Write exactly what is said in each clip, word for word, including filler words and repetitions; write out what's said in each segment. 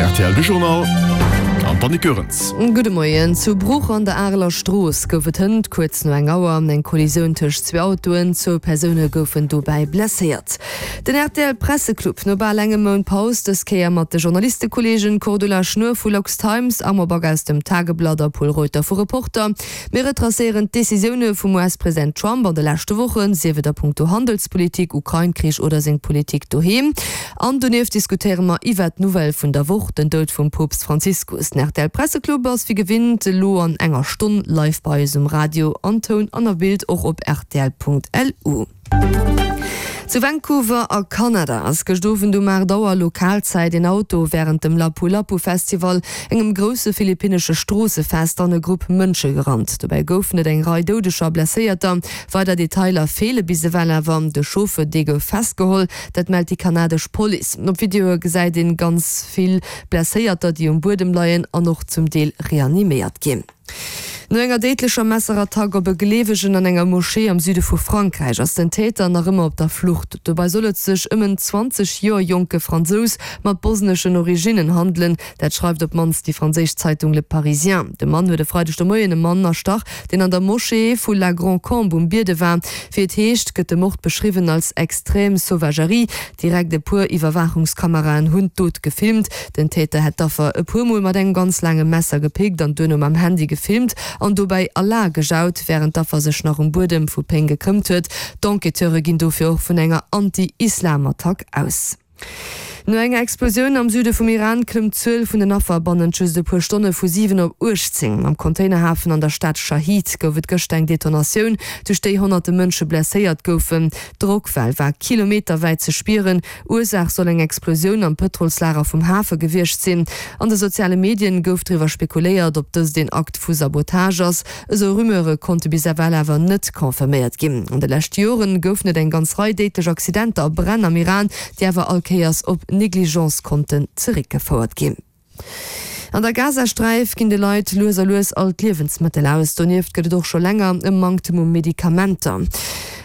R T L de Journal an d'Annick Goerens. Gudde Moien. Zu Bruch an der Areler Strooss gouf et hënt kuerz no eng Auer eng Kollisioun tëscht zwee Autoen. Zwou Persoune goufen dobäi blesséiert. Den R T L Presseclub no bal engem Mount Paus, dës Kéier mat de Journalistekolleegen Cordula Schnuer vu LuxTimes, Armand Back aus dem Tageblatt a Pol Reuter vu Reporter. Mir retracéieren d'Decisioune vum U S-President Trump an de leschte Wochen, sief et a punkto Handelspolitik, Ukrain-Krich oder seng Politik doheem. An donieft diskutéiere mer iwwert d'Nouvelle vun der Woch, den Doud vum Poopst Franziskus. Den R T L Presseclub ass wéi gewinnt elo an enger Stonn live bei eis um Radio an Toun an a Bild och op rtl Punkt L U. Zu Vancouver a Kanada ass gëscht Owend um aacht Auer Lokalzäit een Auto wärend dem Lapu Lapu Festival, engem grousse philippinnesche Stroossefest, an e Grupp Mënsche gerannt. Dobäi goufen et eng Rei Doudeger a Blesséierter. Weider Detailer feele bis ewell awer. De Chauffeur, dee gouf festgeholl, dat mellt déi kanadesch Police. Op Videoe gesäit een ganz vill Blesséierter, déi um Buedem leien an och zum Deel reaniméiert ginn. No enger déidlecher Messerattack op e Gleewegen an enger Moschee am Süde vu Frankräich ass den Täter nach ëmmer op der Flucht. Dobäi soll et sech ëm en zwanzeg Joer jonke Fransous mat bosneschen Originnen handelen, dat schreift op d'mannst déi franséisch Zeitung Le Parisien. De Mann huet e Freideg de Moien e Mann erstach, deen an der Moschee vu La Grand-Combe um Biede war. Wéi et heescht, gëtt de Mord beschriwwen als extrem Sauvagerie. Direkt e puer Iwwerwaachungskameraen hunn d'Dot gefilmt. Den Täter hätt d'Affer e puer Mol mat engem ganz laange Messer gepickt an duerno mam Handy gefilmt an dobäi Allah gejaut, wärend d'Affer sech nach um Buedem vu Péng gekrëmmt huet. D'Enquêteure ginn dofir och vun enger Anti-Islam-Attack aus. No enger Explosioun am Süde vum Iran klëmmt d'Zuel vun den Affer bannent just e puer Stonne vu siwen op uechtzéng. Am Containerhafen an der Stad Shahid gouf et gëschter eng Detonatioun, duerch déi honnerte Mënsche blesséiert goufen. D'Drockwell war kilometerwäit ze spieren. Ursaach soll eng Explosioun am Pëtrolslager vum Hafe gewiescht sinn. An de soziale Medien gouf driwwer spekuléiert, ob dëst een Akt vu Sabotage ass. Esou Rumeure konnte bis ewell awer net confirméiert ginn. An de leschte Joren goufen et eng ganz Rei déidlech Accidenter a Bränn am Iran, déi awer all Kéiers op Negligence konnten zeréckgefouert ginn. An der Gazasträif ginn de Leit lues a lues all d'Liewensmëttel aus. Donieft gëtt et och scho länger e Manktem u Medikamenter.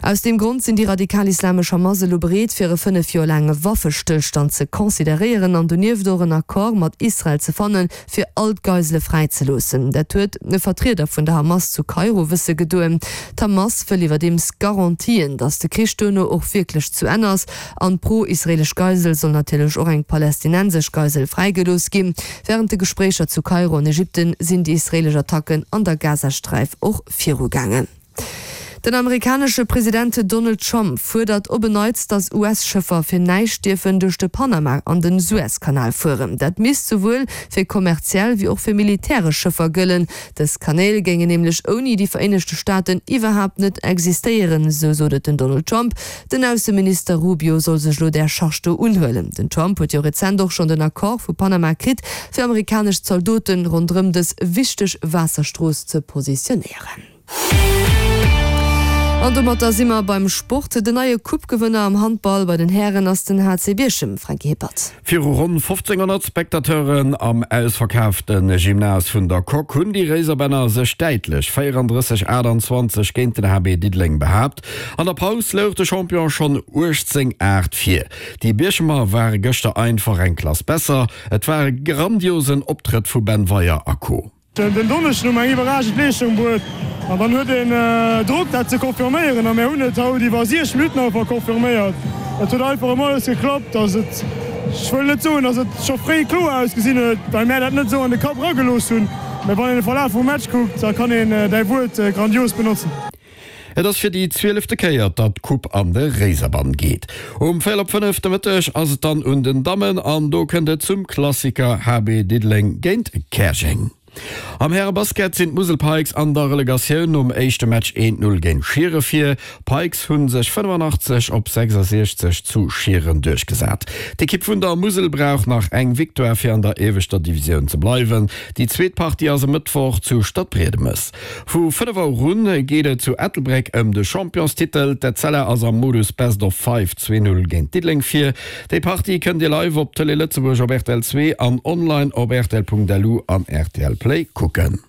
Aus deem Grond sinn déi radikal-islamesch Hamas elo bereet, fir e fënnef Joer laange Waffestëllstand ze consideréieren an donieft och en Accord mat Israel ze fannen, fir all d'Geisele fräizeloossen. Dat huet e Vertrieder vun der Hamas zu Kairo wësse gedoen. D'Hamas wëll iwwerdeems Garantien, datt de Krich duerno och wierklech zu Enn ass. An pro-israelesch Geisel soll natierlech och eng palästinensesch Geisel fräigelooss ginn. Wärend de Gespréicher zu Kairo an Ägypten sinn déi israelesch Attacken an der Gazasträif och virugaangen. Den amerikanesche President Donald Trump fuerdert op en Neits, datt U S-Schëffer fir näischt dierfen duerch de Panama an den Suezkanal fueren. Dat misst souwuel fir kommerziell wéi och fir militäresch Schëffer gëllen. Dës Kanäl géingen nämlech ouni déi Vereenegte Staaten iwwerhaapt net existéieren, sou sot et den Donald Trump. Den Ausseminister Rubio soll sech elo där Charge do unhuelen. Den Trump huet jo rezent och schonn den Accord vu Panama kritt, fir amerikanesch Zaldoten ronderëm dës wichteg Waasserstrooss ze positionéieren. An domatter si mer beim Sport. Den neie Coupe-Gewënner am Handball bei den Hären ass den H C Bierchem, Franky Hippert. Viru ronn fofzénghonnert Spectateuren am ausverkaafte Gymnase vun der Coque hunn déi Réiserbänner sech däitlech véierandrësseg, aachtanzwanzeg géint den H B Diddeleng behaapt. An der Paus louch de Champion schonn uechtzéng, aacht vir. Déi Bierchemer ware gëschter einfach eng Klass besser. Et war e grandiosen Optrëtt vu Ben Weyer a Co. Den Donneschden hu mer eng iwwerragend Leeschtung bruet an dann huet een Drock dat ze confirméieren a mir hunn et haut iwwer siechzeg Minutten einfach confirméiert. Et huet einfach ëmmer alles geklappt, dass et, ech wëll net soen, dass et scho fréi kloer ausgesinn huet, well mär dat net esou an de Kapp eragelooss hunn, mä wann een de Verlaf vum Match kuckt, da kann een däi Wuert grandios benotzen. Et ass fir déi zwielefte Kéier, datt d'Coupe an de Réiserbann geet. Um véierel op fënnef de Mëtteg ass et dann un den Dammen an do kënnt et zum Klassiker H B Diddeleng géint Käerjeng. Am Härebasket sinn d'Musel Pikes an der Relegatioun nom éischte Match eent Null géint Schiere vir. D'Pikes hu sech fënnefanaachtzeg op sechsasiechzeg zu Schieren duerchgesat. D'Ekipp vun der Musel brauch nach eng Victoire fir an der ieweschter Divisioun ze bleiwen. Déi zweet Partie ass e Mëttwoch zu Stadbriedemes. Vu fënnef Auer un geet et zu Ettelbréck ëm de Championstitel. D'Etzella ass am Modus Best of Five zwee Null géint Diddeleng vir. Déi Partie kënnt Dir live op Tëlee Lëtzebuerg op R T L zwee an online op rtl Punkt lu an R T L Play kucken.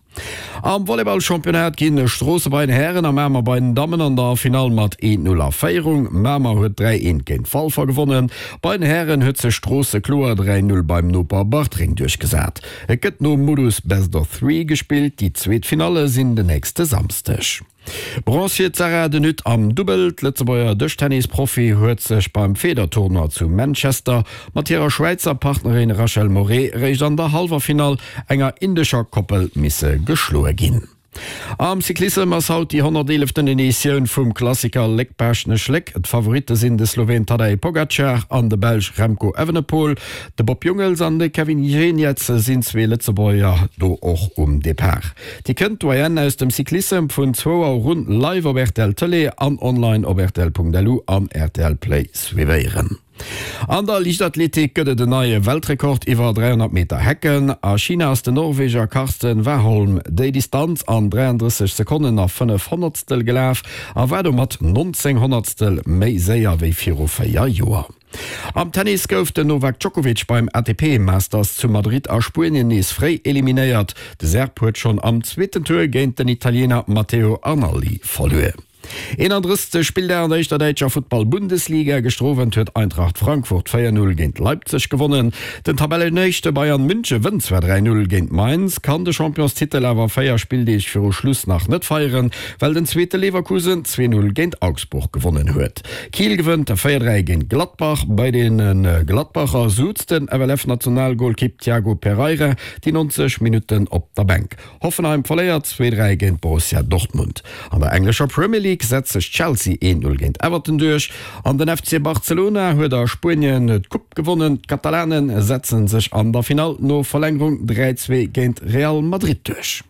Am Volleyball-Championnat ginn Stroosse bei den Hären a Mamer bei den Dammen an der Finall mat eent Null a Féierung. Mamer huet dräi eent géint Walfer gewonnen. Bei den Hären huet sech Stroosse kloer dräi Null beim Noper Bartreng duerchgesat. Et gëtt nom Modus Best of Three gespillt, déi zweet Finalle sinn den nächste Samsdeg. Bronz fir d'Sarah de Nutte am Dubbel. D'Lëtzebuerger Dëschtennis-Profi huet sech beim Federtournoi zu Manchester mat hirer Schwäizer Partnerin Rachel Moret réischt an der Hallwerfinall enger indescher Koppel misse geschloe ginn. Am Cyclissem ass haut déi honnerteeleften Editioun vum Klassiker Léck-Baaschtnech-Léck. D'Favoritte sinn de Sloween Tadej Pogacar an de Belsch Remco Evenepoel. De Bob Jungels an de Kevin Geniets sinn zwee Lëtzebuerger do och um Depart. Dir kënnt d'Doyenne aus dem Cyclissem vun zwou Auer un live op rtl Tëlee an online op rtl.lu an rtl Play suivéieren. An der Liichtathletik gëtt et en neie Weltrekord iwwer dräihonnert Meter Hecken. A China ass den Norweger Karsten Warholm déi Distanz an dräiandrësseg Sekonnen a fënnef Honnertstel gelaf a war domat nonzéng Honnertstel méi séier wéi viru véier Joer. Am Tennis gouf den Novak Djokovic beim A T P Masters zu Madrid a Spuenien nees fréi eliminéiert. De Serb huet schonn am zweeten Tour géint den Italiener Matteo Arnaldi verluer. eenandrëssegste Spilldag an der éischter däitscher Futtball-Bundesliga, Gëschter Owend huet Eintracht Frankfurt véier Null géint Leipzig gewonnen. Den Tabellenéischte Bayern Münche wënnt zwar dräi Null géint Mainz, kann de Championstitel awer véier Spilldeeg viru Schluss nach net feieren, well den zweete Leverkusen zwee Null géint Augsburg gewonnen huet. Kiel gewënnt véier dräi géint Gladbach. Bei de Gladbacher souz den F L F-Nationalgolkipp Tiago Pereira déi neunzeg Minutten op der Bänk. Hoffenheim verléiert zwee dräi géint Borussia Dortmund. An der englescher Premier League setzt sech Chelsea een Null géint Everton duerch an den F C Barcelona huet a Spuenien d'Coupe gewonnen. D'Katalane setze sech an der Finall no Verlängerung dräi zwee géint Real Madrid duerch.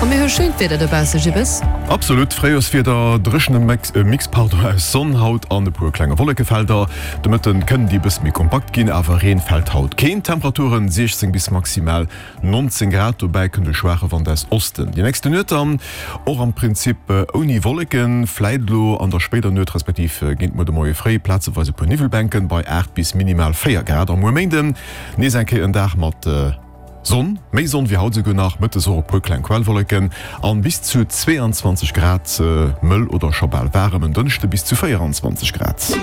A mir hu schéint Wieder dobausse, Gibbes. Absolut Fréijorswieder, dréchene Mix pardon aus Sonn haut an e puer klenge Wollekefelder. De Mëtten kënnen déi e bësse méi kompakt ginn, awer Reen fält haut keen. Temperaturen siechzéng bis maximal nonzéng Grad, dobäi kënnt e schwaache Wand aus Osten. Déi nächste Nuet dann och am Prinzip ouni Wolleken, vläit elo an der spéider Nuet respektiv géint muer de Moie fréi plazeweis e puer Niwwelbänken bei aacht bis minimal véier Grad. A muer Méinden nees eng Kéier en Dag mat Sonn, méi Sonn wéi haut esouguer nach, mëttes och e puer kleng Quellwolleken an bis zu zweeanzwanzeg Grad, mëll oder scho bal waarem. En Dënschde bis zu véieranzwanzeg Grad.